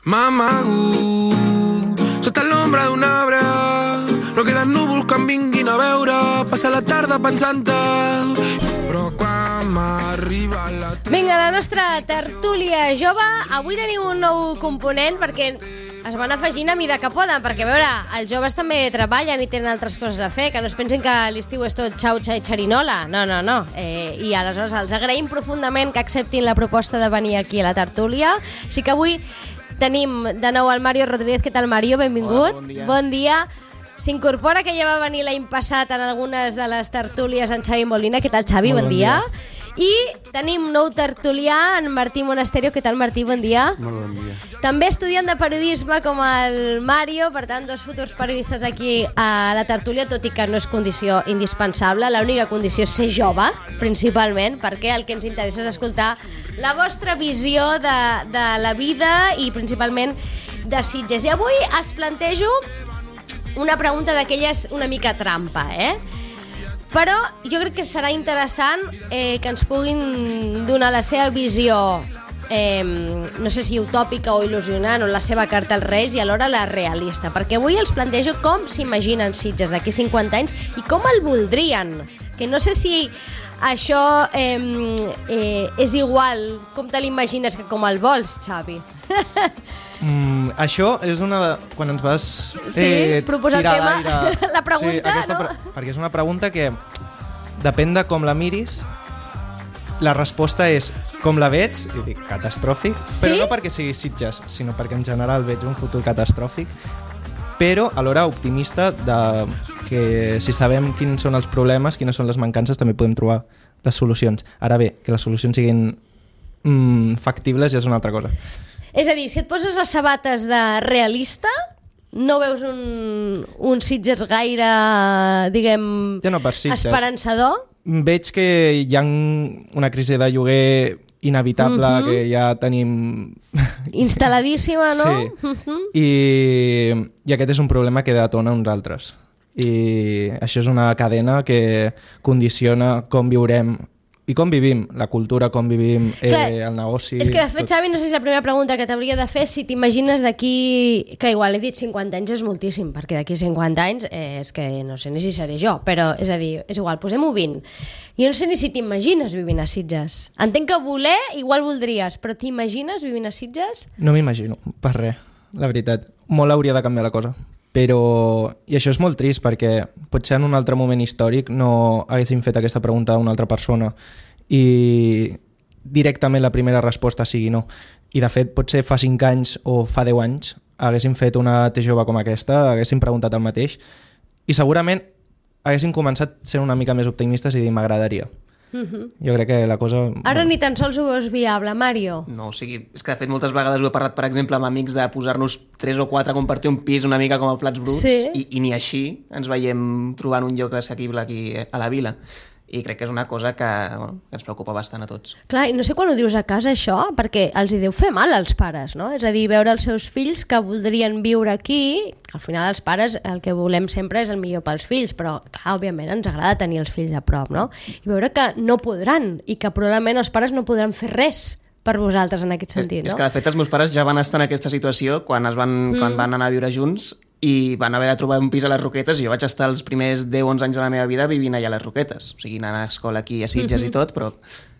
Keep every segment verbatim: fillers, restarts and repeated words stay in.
M'amago sota l'ombra d'un arbre, no queden núvols que em vinguin a veure, passa la tarda pensant-te, però quan m'arriba la... Vinga, la nostra tertúlia jove. Avui tenim un nou component perquè es van afegint a mida que poden, perquè a veure, els joves també treballen i tenen altres coses a fer, que no es pensin que l'estiu és tot xau-xa i xerinola. No, no, no. Eh, I aleshores els agraïm profundament que acceptin la proposta de venir aquí a la tertúlia. Així que avui tenim de nou el Mario Rodríguez. Què tal, Mario? Benvingut. Hola, bon dia. Bon dia. S'incorpora, que ja va venir l'any passat en algunes de les tertúlies, en Xavi Molina. Què tal, Xavi? Molt Bon, bon dia. dia. I tenim nou tertulià, en Martí Monasterio. Què tal, Martí? Bon dia. Molt bon dia. També estudiant de periodisme com el Mario, per tant, dos futurs periodistes aquí a la tertúlia, tot i que no és condició indispensable. L'única condició és ser jove, principalment, perquè el que ens interessa és escoltar la vostra visió de, de la vida i principalment de Sitges. I avui es plantejo una pregunta d'aquelles una mica trampa, eh? Però jo crec que serà interessant eh, que ens puguin donar la seva visió, eh, no sé si utòpica o il·lusionant, o la seva carta als Reis, i alhora la realista, perquè avui els plantejo com s'imaginen Sitges d'aquí cinquanta anys i com el voldrien, que no sé si això eh, eh, és igual com te l'imagines que com el vols, Xavi. Mm, això és una de... Quan ens vas Sí, eh, proposar el tirar tema, l'aire... la pregunta, sí, aquesta no? pre- perquè és una pregunta que depèn de com la miris. La resposta és com la veig, i dic catastròfic, però Sí? no perquè sigui Sitges, sinó perquè en general veig un futur catastròfic, però alhora optimista de que si sabem quins són els problemes, quines són les mancances, també podem trobar les solucions. Ara bé, que les solucions siguin mm, factibles ja és una altra cosa. És a dir, si et poses les sabates de realista, no veus un, un Sitges gaire, diguem, Ja no per Sitges. esperançador? Veig que hi ha una crisi de lloguer inevitable, Mhm. que ja tenim... Instal·ladíssima, no? Sí. Mhm. I, I aquest és un problema que detona uns altres. I això és una cadena que condiciona com viurem i com vivim, la cultura, com vivim, eh, Clar, el negoci... És que, de fet, tot. Xavi, no sé si la primera pregunta que t'hauria de fer, si t'imagines d'aquí... Que igual he dit cinquanta anys és moltíssim, perquè d'aquí cinquanta anys eh, és que no sé ni si seré jo, però és a dir, és igual, posem-ho vint. Jo no sé ni si t'imagines vivint a Sitges. Entenc que voler igual voldries, però t'imagines vivint a Sitges? No m'imagino, per res, la veritat. Molt hauria de canviar la cosa. Però, i això és molt trist, perquè potser en un altre moment històric no haguéssim fet aquesta pregunta a una altra persona i directament la primera resposta sigui no. I de fet, potser fa cinc anys o fa deu anys haguéssim fet una T jove com aquesta, haguéssim preguntat el mateix i segurament haguéssim començat sent una mica més optimistes i dir m'agradaria. Uh-huh. Jo crec que la cosa... Ara ni tan sols ho veus viable, Mario. No, o sigui, és que de fet moltes vegades ho he parlat, per exemple, amb amics de posar-nos tres o quatre a compartir un pis una mica com a plats bruts, Sí. i, i ni així ens veiem trobant un lloc assequible aquí a la vila. I crec que és una cosa que, bueno, que ens preocupa bastant a tots. Clar, i no sé quan ho dius a casa, això, perquè els hi deu fer mal als pares, no? És a dir, veure els seus fills que voldrien viure aquí, al final els pares el que volem sempre és el millor pels fills, però, clar, òbviament ens agrada tenir els fills a prop, no? I veure que no podran, i que probablement els pares no podran fer res per vosaltres en aquest sentit, És no? que, de fet, els meus pares ja van estar en aquesta situació quan, es van, mm. quan van anar a viure junts i van haver de trobar un pis a les Roquetes i jo vaig estar els primers deu o onze anys de la meva vida vivint allà a les Roquetes. O sigui, anant a escola aquí a Sitges mm-hmm. i tot, però...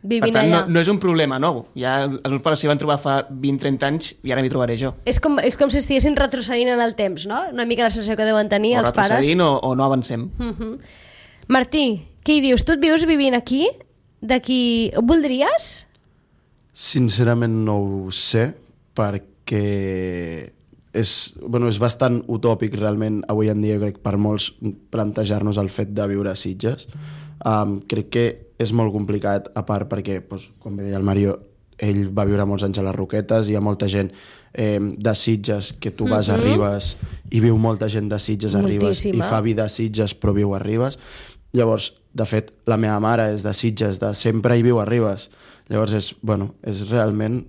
Vivint per tant, allà. no, no és un problema nou. Ja, els meus pares s'hi van trobar fa vint o trenta anys i ara m'hi trobaré jo. És com, és com si estiguessin retrocedint en el temps, no? Una mica la sensació que deuen tenir O els pares. retrocedint o, o no avancem. Uh-huh. Martí, què hi dius? Tu et vius vivint aquí? D'aquí... Voldries? Sincerament no ho sé, perquè és, bueno, és bastant utòpic realment avui en dia, crec, per molts plantejar-nos el fet de viure a Sitges. Um, crec que és molt complicat, a part perquè, doncs, com bé deia el Mario, ell va viure molts anys a les Roquetes, hi ha molta gent eh, de Sitges que tu vas Mhm. a Ribes i viu molta gent de Sitges a Ribes i Moltíssima. fa vida a Sitges però viu a Ribes. Llavors, de fet, la meva mare és de Sitges, de sempre hi viu a Ribes. Llavors és, bueno, és realment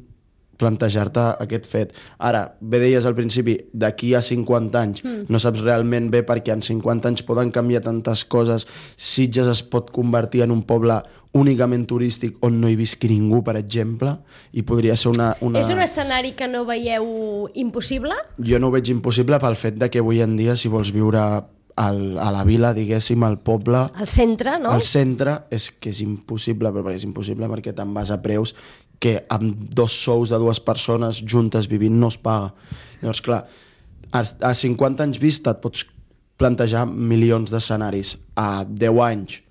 plantejar-te aquest fet. Ara, bé deies al principi, d'aquí a cinquanta anys mm. no saps realment bé perquè en cinquanta anys poden canviar tantes coses. Sitges es pot convertir en un poble únicament turístic on no hi visqui ningú, per exemple, i podria ser una... una... És un escenari que no veieu impossible? Jo no ho veig impossible pel fet de que avui en dia, si vols viure al, a la vila, diguéssim, al poble... Al centre, no? Al centre és que és impossible, però és impossible perquè te'n vas a preus que amb dos sous de dues persones juntes vivint no es paga. Llavors, clar, a, a cinquanta anys vista et pots plantejar milions d'escenaris. A deu anys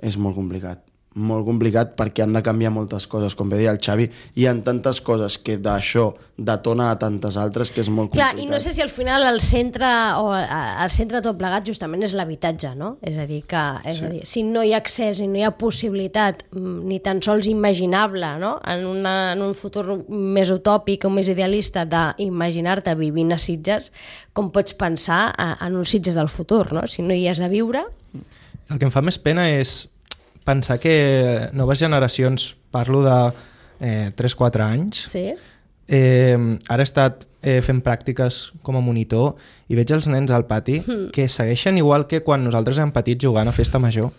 és molt complicat. Molt complicat perquè han de canviar moltes coses. Com bé deia el Xavi, hi ha tantes coses que d'això detona a tantes altres que és molt Clar, complicat. i no sé si al final el centre o el centre tot plegat justament és l'habitatge, no? És a dir, que és sí. a dir, si no hi ha accés i no hi ha possibilitat ni tan sols imaginable, no? En, una, en un futur més utòpic o més idealista d'imaginar-te vivint a Sitges, com pots pensar en uns Sitges del futur, no? Si no hi has de viure... El que em fa més pena és pensar que noves generacions, parlo de eh, tres quatre anys, sí. eh, ara he estat eh, fent pràctiques com a monitor i veig els nens al pati mm. que segueixen igual que quan nosaltres érem petits jugant a festa major.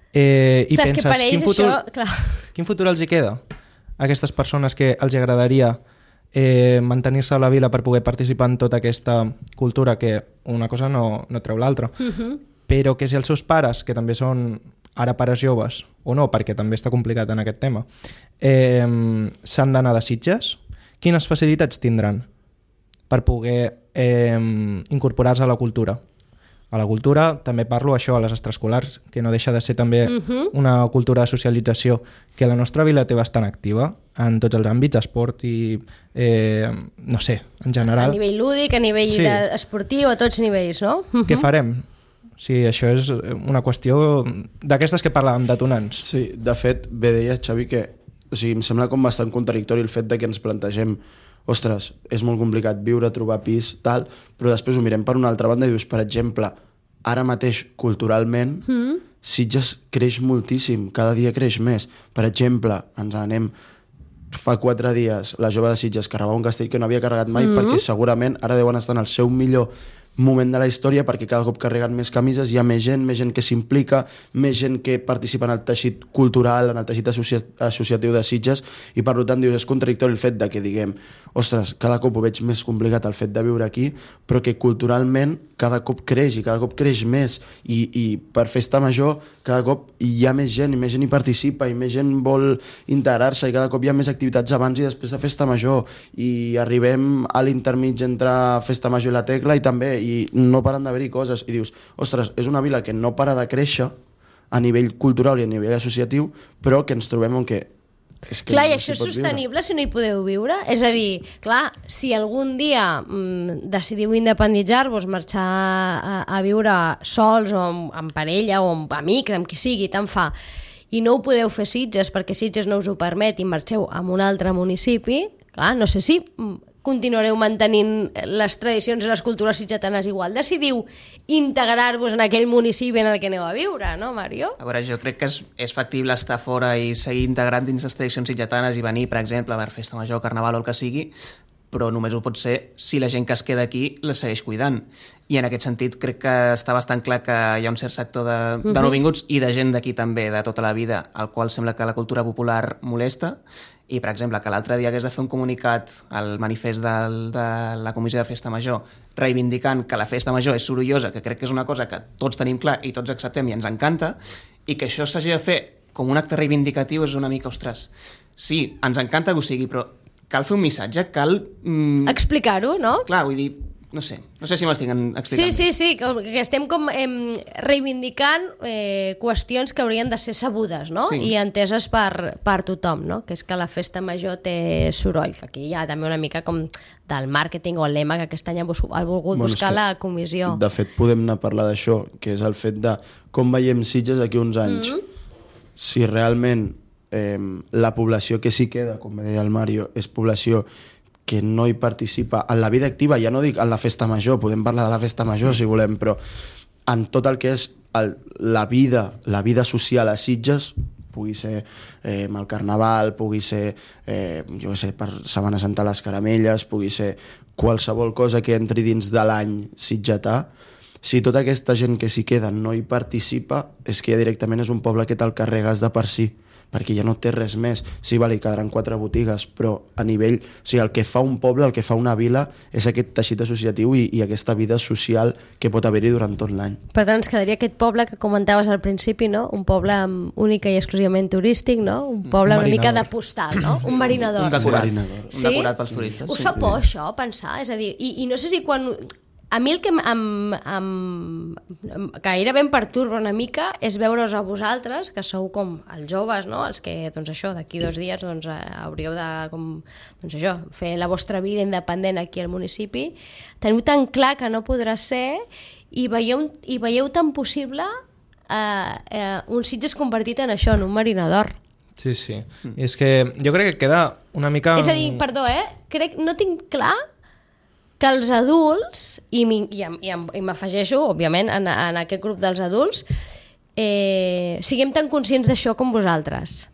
Eh, I clar, penses, que quin futur, això, clar. quin futur els hi queda a aquestes persones que els agradaria eh, mantenir-se a la vila per poder participar en tota aquesta cultura, que una cosa no, no treu l'altra. Mm-hmm. Però que si els seus pares, que també són ara pares joves, o no, perquè també està complicat en aquest tema, eh, s'han d'anar de Sitges, quines facilitats tindran per poder eh, incorporar-se a la cultura? A la cultura també parlo això, a les extraescolars, que no deixa de ser també uh-huh. una cultura de socialització que la nostra vila té bastant activa en tots els àmbits, esport i eh, no sé, en general. A nivell lúdic, a nivell sí. esportiu, a tots nivells, no? Uh-huh. Què farem? Sí, això és una qüestió d'aquestes que parlàvem, detonants. Sí, de fet, bé deia Xavi que o sigui, em sembla com bastant contradictori el fet de que ens plantegem ostres, és molt complicat viure, trobar pis, tal, però després ho mirem per una altra banda i dius, per exemple, ara mateix, culturalment, mm. Sitges creix moltíssim, cada dia creix més. Per exemple, ens anem fa quatre dies, la jove de Sitges carregava un castell que no havia carregat mai mm. perquè segurament ara deuen estar en el seu millor moment de la història perquè cada cop carreguen més camises, hi ha més gent, més gent que s'implica, més gent que participa en el teixit cultural, en el teixit associ associatiu de Sitges, i per tant dius, és contradictori el fet de que diguem, ostres, cada cop ho veig més complicat el fet de viure aquí, però que culturalment cada cop creix i cada cop creix més, i, i per festa major cada cop hi ha més gent i més gent hi participa i més gent vol integrar-se i cada cop hi ha més activitats abans i després de festa major, i arribem a l'intermig entre festa major i la Tecla i també i no paren d'haver-hi coses, i dius, ostres, és una vila que no para de créixer a nivell cultural i a nivell associatiu, però que ens trobem en què és que clar, no i això és sostenible viure. Si no hi podeu viure? És a dir, clar, si algun dia mm, decidiu independitzar-vos, marxar a, a viure sols o amb, amb parella o amb amics, amb qui sigui, tant fa, i no ho podeu fer Sitges perquè Sitges no us ho permet i marxeu a un altre municipi, clar, no sé si continuareu mantenint les tradicions i les cultures sitgetanes igual. Decidiu integrar-vos en aquell municipi en el que aneu a viure, no, Mario? A veure, jo crec que és, és factible estar fora i seguir integrant dins les tradicions sitgetanes i venir, per exemple, a veure, festa major, carnaval o el que sigui, però només ho pot ser si la gent que es queda aquí la segueix cuidant. I en aquest sentit crec que està bastant clar que hi ha un cert sector de, de nouvinguts i de gent d'aquí també, de tota la vida, al qual sembla que la cultura popular molesta. I, per exemple, que l'altre dia hagués de fer un comunicat al manifest del, de la Comissió de Festa Major reivindicant que la festa major és sorollosa, que crec que és una cosa que tots tenim clar i tots acceptem i ens encanta, i que això s'hagi de fer com un acte reivindicatiu és una mica, ostres, sí, ens encanta que ho sigui, però cal fer un missatge, cal... Mm, explicar-ho, no? Clar, vull dir, no sé, no sé si m'estic explicant. Sí, sí, sí, que estem com eh, reivindicant eh, qüestions que haurien de ser sabudes, no? Sí. I enteses per, per tothom, no? Que és que la festa major té soroll, que aquí hi ha també una mica com del màrqueting o el lema que aquest any ha volgut bueno, buscar la comissió. De fet, podem anar a parlar d'això, que és el fet de com veiem Sitges d'aquí uns anys. Mm-hmm. Si realment eh, la població que s'hi queda, com deia el Mario, és població que no hi participa en la vida activa, ja no dic en la festa major, podem parlar de la festa major si volem, però en tot el que és el, la vida la vida social a Sitges, pugui ser eh, amb el Carnaval, pugui ser, eh, jo què sé, per Setmana Santa les caramelles, pugui ser qualsevol cosa que entri dins de l'any sitgetà. Si tota aquesta gent que s'hi queda no hi participa, és que ja directament és un poble que te'l carregues de per si, perquè ja no té res més. Sí, vale, quedaran quatre botigues, però a nivell... O sigui, el que fa un poble, el que fa una vila, és aquest teixit associatiu i, i aquesta vida social que pot haver-hi durant tot l'any. Per tant, ens quedaria aquest poble que comentaves al principi, no? Un poble únic i exclusivament turístic, no? Un poble un una mica marinador. de postal, no? Un marinador. Un decorat, Sí. un Sí? decorat pels turistes. Us fa por això, pensar? És a dir, i, i no sé si quan... A mi el que em, em, em, em, gairebé em perturba una mica és veure-us a vosaltres, que sou com els joves, no? Els que, doncs això, d'aquí dos dies doncs, eh, hauríeu de, com, doncs això, fer la vostra vida independent aquí al municipi. Teniu tan clar que no podrà ser i veieu, i veieu tan possible eh, eh, un Sitges convertit en això, en un marinador. Sí, sí. Mm. I és que jo crec que queda una mica... És a dir, perdó, eh? Crec, no tinc clar que els adults, i m'afegeixo, òbviament, en, en aquest grup dels adults, eh, siguem tan conscients d'això com vosaltres.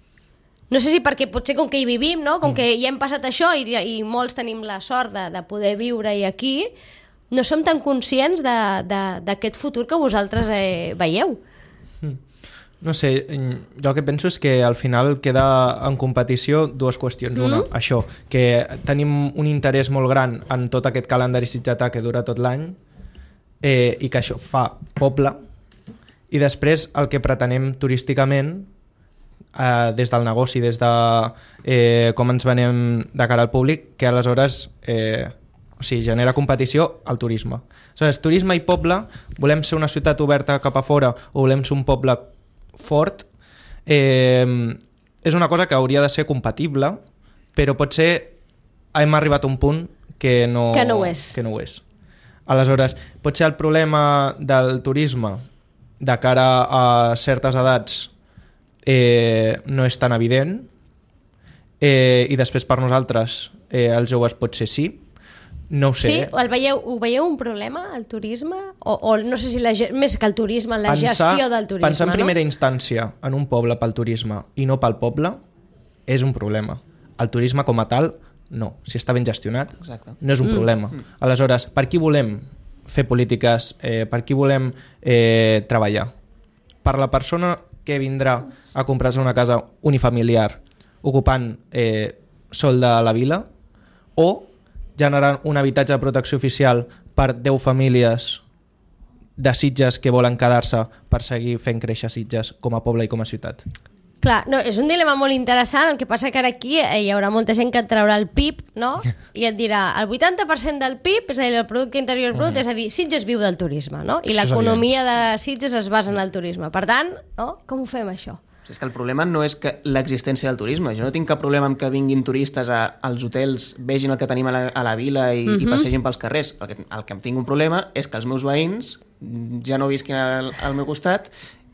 No sé si perquè potser com que hi vivim, no? Com que ja hem passat això i, i molts tenim la sort de, de poder viure-hi aquí, no som tan conscients d'aquest futur que vosaltres eh, veieu. No sé, jo el que penso és que al final queda en competició dues qüestions. Mm. Una, això, que tenim un interès molt gran en tot aquest calendari sitgetà que dura tot l'any eh, i que això fa poble, i després el que pretenem turísticament eh, des del negoci, des de eh, com ens venem de cara al públic, que aleshores eh, o sigui, genera competició al turisme. Aleshores, turisme i poble, volem ser una ciutat oberta cap a fora o volem ser un poble fort, eh, és una cosa que hauria de ser compatible, però potser hem arribat a un punt que no, que no ho és. Que no ho és. Aleshores, potser el problema del turisme de cara a certes edats eh, no és tan evident, eh, i després per nosaltres eh, els joves potser sí. No ho sé. Sí? El veieu, ho veieu un problema, el turisme? O, o no sé si la, més que el turisme, la pensar, gestió del turisme, pensar en primera no? instància en un poble pel turisme i no pel poble és un problema. El turisme com a tal, no. Si està ben gestionat, Exacte. no és un mm. problema. Mm. Aleshores, per qui volem fer polítiques? Eh, per qui volem eh, treballar? Per la persona que vindrà a comprar-se una casa unifamiliar ocupant eh, sol de la vila, o generant un habitatge de protecció oficial per deu famílies de Sitges que volen quedar-se per seguir fent créixer Sitges com a poble i com a ciutat. Clar, no, és un dilema molt interessant, el que passa que ara aquí eh, hi haurà molta gent que et traurà el P I B, no? I et dirà, el vuitanta per cent del P I B, és a dir, el Producte Interior Brut, mm. és a dir, Sitges viu del turisme, no? I l'economia de Sitges es basa en el turisme. Per tant, no? Com ho fem, això? És que el problema no és que l'existència del turisme. Jo no tinc cap problema amb que vinguin turistes a, als hotels, vegin el que tenim a la, a la vila i, mm-hmm. i passegin pels carrers. El que, el que em tinc un problema és que els meus veïns ja no visquin al, al meu costat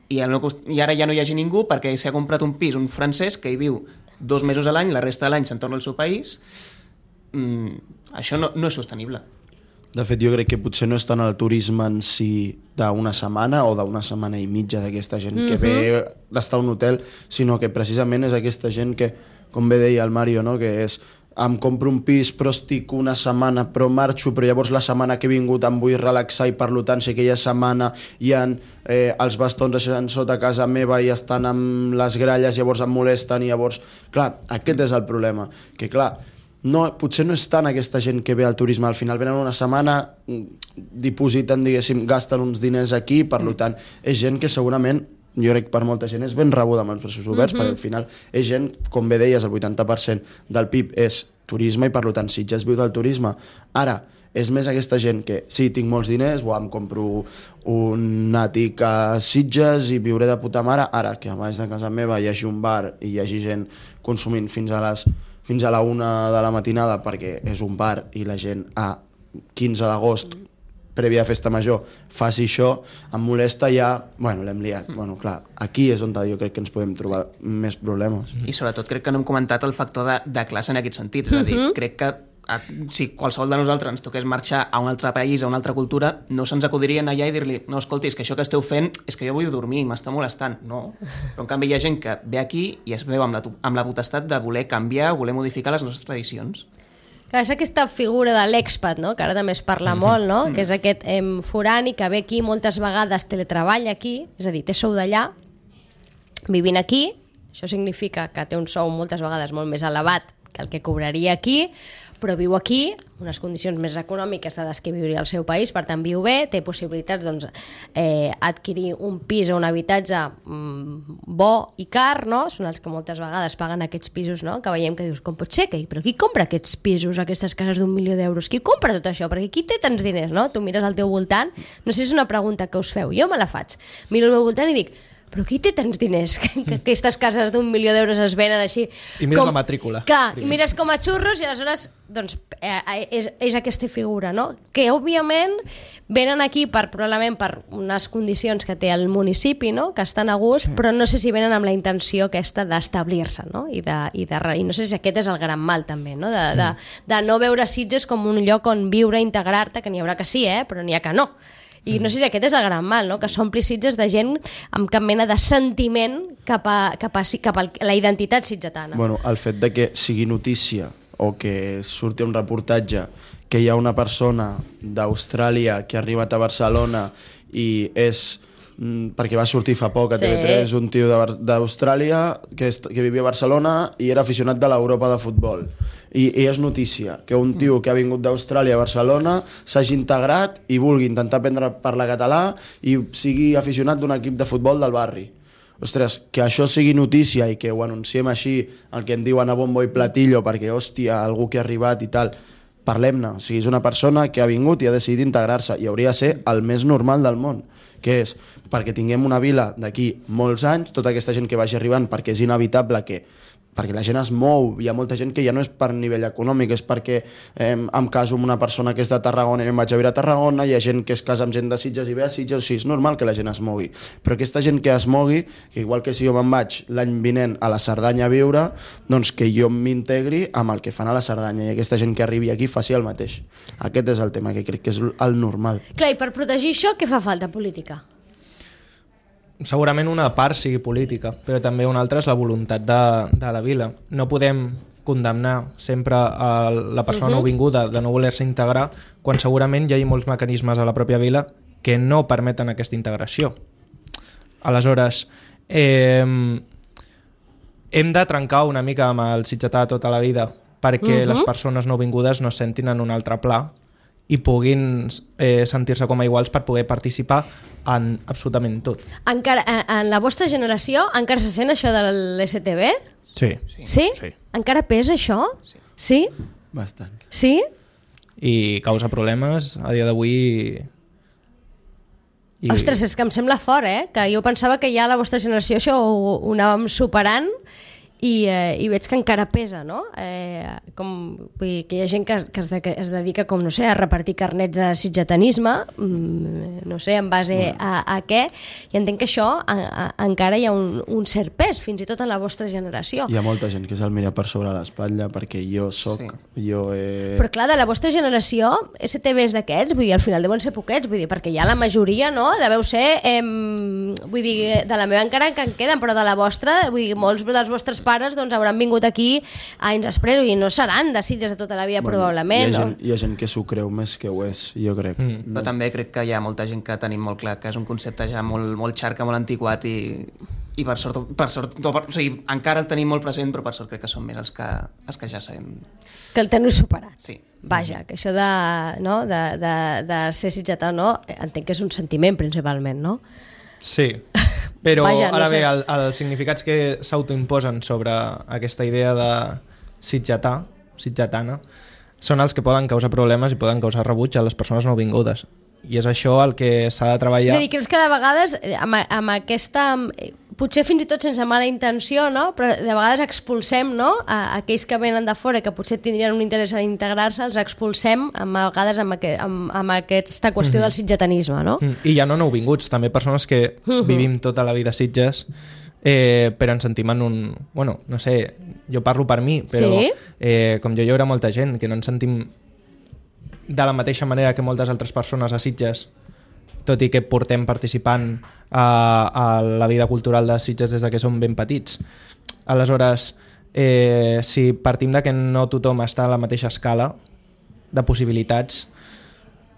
i, al meu cost... i ara ja no hi hagi ningú perquè s'ha comprat un pis, un francès, que hi viu dos mesos a l'any, la resta de l'any se'n torna al seu país. Mm, això no, no és sostenible. De fet, jo crec que potser no és tant el turisme en si d'una setmana o d'una setmana i mitja d'aquesta gent mm-hmm. que ve d'estar a un hotel, sinó que precisament és aquesta gent que, com bé deia el Mario, no? Que és em compro un pis però estic una setmana però marxo, però llavors la setmana que he vingut em vull relaxar i per tant si aquella setmana hi ha eh, els bastons deixant sota casa meva i estan amb les gralles, llavors em molesten i llavors, clar, aquest és el problema, que clar, no, potser no és tant aquesta gent que ve al turisme, al final venen una setmana, dipositen, diguéssim, gasten uns diners aquí, per mm. tant, és gent que segurament, jo crec per molta gent, és ben rebuda amb els braços oberts, mm-hmm. perquè al final és gent, com bé deies, el vuitanta per cent del P I B és turisme i per tant Sitges viu del turisme. Ara, és més aquesta gent que sí, tinc molts diners, o em compro un àtic a Sitges i viuré de puta mare, ara que a baix de casa meva hi hagi un bar i hi hagi gent consumint fins a les fins a la una de la matinada perquè és un bar i la gent a quinze d'agost prèvia a festa major faci això, em molesta ja, bueno, l'hem liat. Bueno, clar, aquí és on jo crec que ens podem trobar més problemes. I sobretot crec que no hem comentat el factor de, de classe en aquest sentit, és a dir, crec que si qualsevol de nosaltres ens toqués marxar a un altre país, a una altra cultura, no se'ns acudirien allà i dir-li, no, escolti, és que això que esteu fent és que jo vull dormir, m'està molestant. No. Però en canvi hi ha gent que ve aquí i es veu amb la, amb la potestat de voler canviar, voler modificar les nostres tradicions. Clar, és aquesta figura de l'expat, no? Que ara també es parla molt, no? Que és aquest eh, forani que ve aquí moltes vegades teletreballa aquí, és a dir, té sou d'allà, vivint aquí, això significa que té un sou moltes vegades molt més elevat que el que cobraria aquí, però viu aquí, unes condicions més econòmiques de les que viuria al seu país, per tant viu bé, té possibilitats doncs, eh, adquirir un pis o un habitatge mm, bo i car, no? Són els que moltes vegades paguen aquests pisos, no? Que veiem que dius, com pot ser? Que, però qui compra aquests pisos, aquestes cases d'un milió d'euros? Qui compra tot això? Perquè qui té tants diners, no? Tu mires al teu voltant, no sé si és una pregunta que us feu, jo me la faig, miro al meu voltant i dic, però qui té tants diners que, que aquestes cases d'un milió d'euros es venen així? I mires com, la matrícula. Clar, primer. I mires com a xurros i aleshores doncs, eh, és, és aquesta figura, no? Que òbviament venen aquí per, probablement per unes condicions que té el municipi, no? Que estan a gust, sí. Però no sé si venen amb la intenció aquesta d'establir-se, no? I, de, i, de, i no sé si aquest és el gran mal també, no? De, de, de no veure Sitges com un lloc on viure, integrar-te, que n'hi haurà que sí, eh? Però n'hi ha que no. I no sé si aquest és el gran mal, no? Que s'ompli Sitges de gent amb cap mena de sentiment cap a, cap a, cap a la identitat sitgetana. Bueno, el fet de que sigui notícia o que surti un reportatge que hi ha una persona d'Austràlia que ha arribat a Barcelona i és, perquè va sortir fa poc a T V tres, sí. Un tio d'Austràlia que, que vivia a Barcelona i era aficionat de l'Europa de futbol. I, i és notícia que un tio que ha vingut d'Austràlia a Barcelona s'hagi integrat i vulgui intentar aprendre a parlar català i sigui aficionat d'un equip de futbol del barri. Ostres, que això sigui notícia i que ho anunciem així, el que en diuen a bombo i platillo, perquè, hòstia, algú que ha arribat i tal, parlem-ne. O sigui, és una persona que ha vingut i ha decidit integrar-se i hauria de ser el més normal del món, que és perquè tinguem una vila d'aquí molts anys, tota aquesta gent que vagi arribant, perquè és inevitable que perquè la gent es mou, hi ha molta gent que ja no és per nivell econòmic, és perquè eh, em caso amb una persona que és de Tarragona i em vaig a viure a Tarragona, hi ha gent que es casa amb gent de Sitges i ve a Sitges, o sigui, és normal que la gent es mogui. Però aquesta gent que es mogui, que igual que si jo me'n vaig l'any vinent a la Cerdanya a viure, doncs que jo m'integri amb el que fan a la Cerdanya i aquesta gent que arribi aquí faci el mateix. Aquest és el tema que crec que és el normal. Clar, i per protegir això, què fa falta? Política? Segurament una part sigui política, però també una altra és la voluntat de, de la vila. No podem condemnar sempre a la persona uh-huh. nouvinguda de no voler-se integrar quan segurament ja hi ha molts mecanismes a la pròpia vila que no permeten aquesta integració. Aleshores, eh, hem de trencar una mica amb el sitgetà tota la vida perquè uh-huh. les persones nouvingudes no sentin en un altre pla i puguin eh, sentir-se com a iguals per poder participar en absolutament tot. Encara, en la vostra generació encara se sent això de l'S T B? Sí. Sí? Sí? Sí. Encara pesa això? Sí. Sí? Bastant. Sí? I causa problemes a dia d'avui. I... Ostres, és que em sembla fort, eh? Que jo pensava que ja a la vostra generació això ho, ho anàvem superant i, eh, i veig que encara pesa, no? Eh, com, vull dir, que hi ha gent que, que, es de, que es dedica, com no sé, a repartir carnets de sitgetanisme, mmm, no sé, en base bueno. a, a què, i entenc que això a, a, encara hi ha un, un cert pes, fins i tot en la vostra generació. Hi ha molta gent que se'l mira per sobre l'espatlla perquè jo soc... Sí. Jo he... Però clar, de la vostra generació, S T B és d'aquests, vull dir, al final deuen ser poquets, vull dir, perquè ja la majoria, no?, deveu ser, eh, vull dir, de la meva encara que en queden, però de la vostra, vull dir, molts dels vostres pares doncs hauran vingut aquí anys després i no seran de Sitges de tota la vida, bueno, probablement. Hi ha, gent, no? hi ha gent que s'ho creu més que ho és, jo crec. Mm. Però també crec que hi ha molta gent que tenim molt clar que és un concepte ja molt, molt xarca, molt antiquat i, i per sort, per sort per, o sigui, encara el tenim molt present, però per sort crec que són més els que, els que ja sabem. Que el teniu superat. Sí. Vaja, que això de, no, de, de, de ser sitgetà, no, entenc que és un sentiment principalment, no? Sí, però Vaja, no ara sé. bé, el, els significats que s'autoimposen sobre aquesta idea de sitgetà, sitgetana, són els que poden causar problemes i poden causar rebuig a les persones nouvingudes. I és això el que s'ha de treballar. És a dir, creus que de vegades amb, amb aquesta... Potser fins i tot sense mala intenció, no? Però de vegades expulsem, no?, a aquells que venen de fora que potser tindrien un interès en integrar-se, els expulsem amb, a vegades amb, aquest, amb, amb aquesta qüestió mm-hmm. del sitgetanisme, no? I ja no nouvinguts, també persones que mm-hmm. vivim tota la vida a Sitges eh, però ens sentim en un... Bueno, no sé, jo parlo per mi, però Sí? eh, com jo hi haurà molta gent que no ens sentim de la mateixa manera que moltes altres persones a Sitges, tot i que portem participant a, a la vida cultural de Sitges des de que som ben petits. Aleshores, eh, si partim de que no tothom està a la mateixa escala de possibilitats,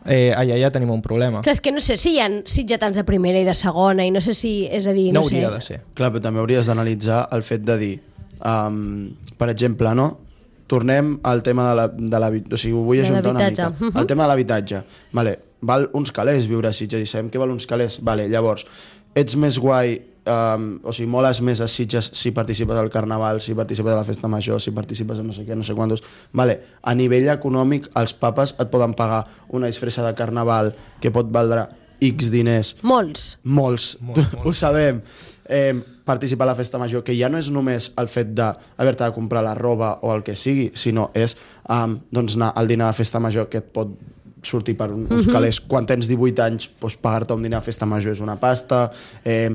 eh, allà ja tenim un problema. Clar, és que no sé si hi ha sitgetans de primera i de segona i no sé si, és a dir, No no, sé. hauria de ser. Clar, però també hauries d'analitzar el fet de dir, um, per exemple, no? Tornem al tema de l'habitatge, o sigui, ho vull De ajuntar una l'habitatge. mica. Mhm. El tema de l'habitatge. Vale, val uns calés viure a Sitges i sabem que val uns calés. Vale, llavors, ets més guai, um, o sigui, moles més a Sitges si participes al Carnaval, si participes a la Festa Major, si participes a no sé què, no sé quantos. Vale, a nivell econòmic, els papes et poden pagar una disfressa de Carnaval que pot valdre X diners. Molts. Molts, molts, molts. Ho sabem. Eh, participar a la festa major, que ja no és només el fet d'haver-te de comprar la roba o el que sigui, sinó és um, doncs anar al dinar de festa major que et pot sortir per un, uns calés. Quan tens divuit anys, doncs, pagar-te un dinar de festa major és una pasta. Eh,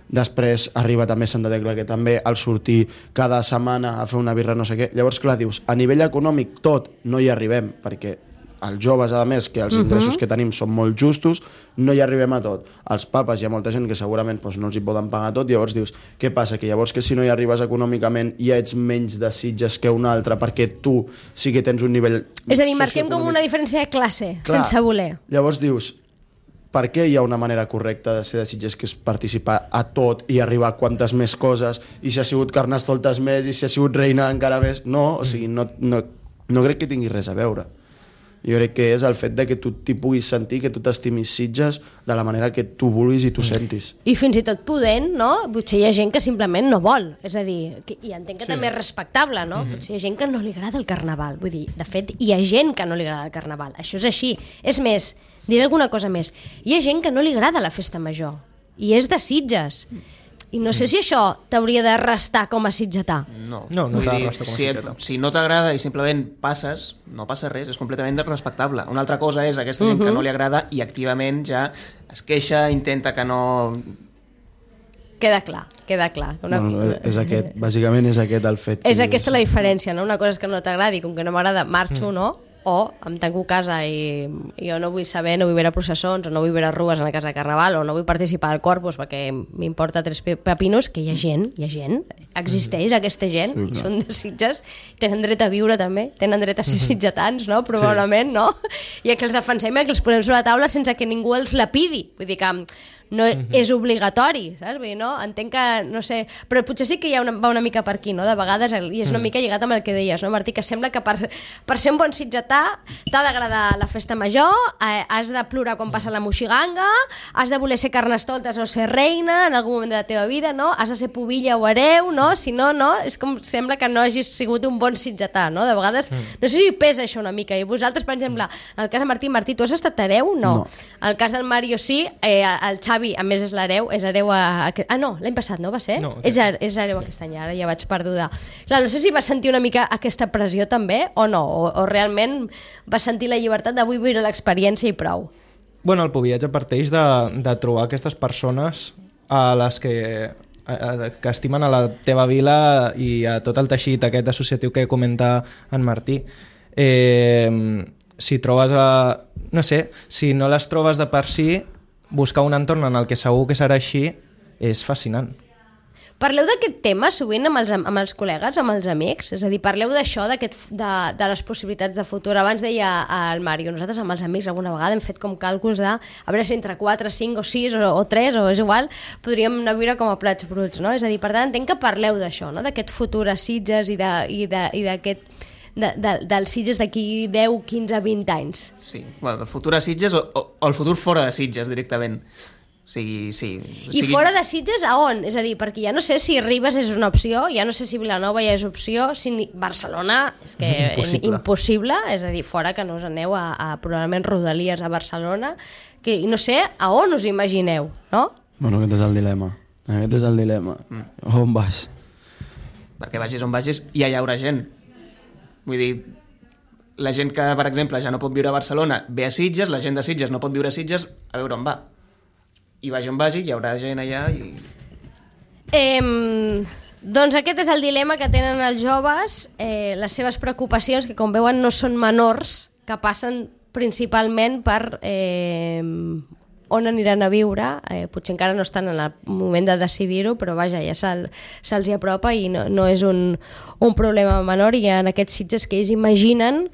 després arriba també Santa Tecla, que també al sortir cada setmana a fer una birra no sé què. Llavors, clar, dius, a nivell econòmic tot no hi arribem, perquè els joves, a més, que els ingressos uh -huh. que tenim són molt justos, no hi arribem a tot. Els papes, hi ha molta gent que segurament doncs, no els hi poden pagar tot, llavors dius, què passa? Que llavors que si no hi arribes econòmicament ja ets menys de Sitges que un altre, perquè tu sí que tens un nivell És a dir, marquem com socioeconòmic. una diferència de classe, Clar, sense voler. Llavors dius, per què hi ha una manera correcta de ser de Sitges, que és participar a tot i arribar a quantes més coses, i si ha sigut Carnestoltes més, i si ha sigut Reina encara més? No, o sigui, no, no, no crec que tingui res a veure. Jo crec que és el fet de que tu t'hi puguis sentir, que tu t'estimis Sitges de la manera que tu vulguis i tu sentis. I fins i tot podent, no? Potser hi ha gent que simplement no vol. És a dir, que, i entenc que sí. també és respectable, no? Mm-hmm. Potser hi ha gent que no li agrada el Carnaval. Vull dir, de fet, hi ha gent que no li agrada el Carnaval. Això és així. És més, diré alguna cosa més. Hi ha gent que no li agrada la festa major. I és de Sitges. I no sé si això t'hauria de restar com a sitgetà. No, No, no Vull t'ha de dir, restar com a si, et, sitgetà. si no t'agrada i simplement passes, no passa res, és completament respectable. Una altra cosa és aquesta gent uh -huh. que no li agrada i activament ja es queixa, intenta que no... Queda clar, queda clar. Una... Bueno, és aquest, bàsicament és aquest el fet. És aquesta la diferència, no? Una cosa és que no t'agradi, com que no m'agrada, marxo, mm. no? O em tanco a casa i, i jo no vull saber, no vull veure processons, o no vull veure rues a la casa de Carnaval, o no vull participar al Corpus perquè m'importa tres pepinos, que hi ha gent, hi ha gent, existeix aquesta gent, sí, i són de Sitges, tenen dret a viure també, tenen dret a ser sitgetans, no? Probablement, sí. no? I que els defensem i que els posem sobre la taula sense que ningú els la pidi. Vull dir que no uh-huh. és obligatori, saps? Vull dir, no? Entenc que, no sé, però potser sí que hi ha una, va una mica per aquí, no? De vegades, i és una mica lligat amb el que deies, no, Martí? Que sembla que per, per ser un bon sitgetà t'ha d'agradar la festa major, eh, has de plorar quan passa la moixiganga, has de voler ser carnestoltes o ser reina en algun moment de la teva vida, no? Has de ser pubilla o hereu, no? Si no, no, és com sembla que no hagis sigut un bon sitgetà, no? De vegades, no sé si pesa això una mica, i vosaltres, per exemple, en el cas de Martí, Martí, tu has estat hereu? No. No. En el cas del Mario sí, eh, el Xavi, a més, és l'hereu, és hereu a... Ah, no, l'any passat, no va ser? No, és, és hereu aquest any, ara ja vaig perduda. Clar, no sé si vas sentir una mica aquesta pressió també, o no, o, o realment vas sentir la llibertat de vull viure l'experiència i prou. Bueno, el poviatge parteix de, de trobar aquestes persones a les que, a, a, que estimen a la teva vila i a tot el teixit aquest associatiu que comenta en Martí. Eh, si trobes a... No sé, si no les trobes de per si, buscar un entorn en el que segur que serà així és fascinant. Parleu d'aquest tema sovint amb els, amb els col·legues, amb els amics? És a dir, parleu d'això, de, de les possibilitats de futur. Abans deia el Mario, nosaltres amb els amics alguna vegada hem fet com càlculs de a veure si entre quatre, cinc o sis o, o tres, o és igual, podríem anar a viure com a plats bruts, no? És a dir, per tant, entenc que parleu d'això, no? D'aquest futur a Sitges i d'aquest... De, de, dels Sitges d'aquí deu, quinze, vint anys. Sí, bueno, el futur a Sitges o, o, o el futur fora de Sitges directament. O sigui, sí. O I sigui... fora de Sitges a on? És a dir, perquè ja no sé si Ribes és una opció, ja no sé si Vilanova ja és opció, si ni... Barcelona és que Impossible. impossible, és a dir, fora que no us aneu a, a probablement Rodalies a Barcelona, que no sé a on us imagineu, no? Bueno, aquest és el dilema. Aquest és el dilema. Mm. On vas? Perquè vagis on vagis, ja hi haurà gent. Vull dir, la gent que, per exemple, ja no pot viure a Barcelona ve a Sitges, la gent de Sitges no pot viure a Sitges, a veure on va. I vagi on vagi, hi haurà gent allà i... Eh, doncs aquest és el dilema que tenen els joves, eh, les seves preocupacions, que com veuen no són menors, que passen principalment per eh, on aniran a viure. Eh, potser encara no estan en el moment de decidir-ho, però vaja, ja se'ls se hi apropa i no, no és un, un problema menor, i en aquests Sitges que ells imaginen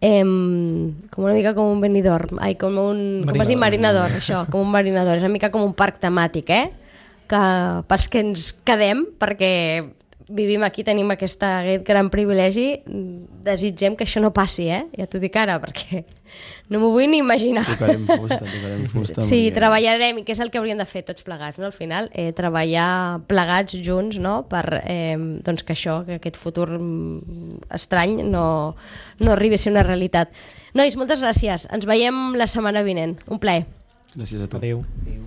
eh, com una mica com un Benidorm, ai, com un marinador. Com es diu marinador, això, com un marinador, és una mica com un parc temàtic, eh? Que pels que ens quedem, perquè vivim aquí, tenim aquesta, aquest gran privilegi, desitgem que això no passi, eh? Ja t'ho dic ara, perquè no m'ho vull ni imaginar. Tocarem fusta, tocarem fusta. Sí, perquè... treballarem, i que és el que hauríem de fer tots plegats, no? Al final, eh, treballar plegats junts, no? Per eh, doncs que això, que aquest futur estrany no, no arribi a ser una realitat. Nois, moltes gràcies. Ens veiem la setmana vinent. Un plaer. Gràcies a tu. Adéu. Adéu.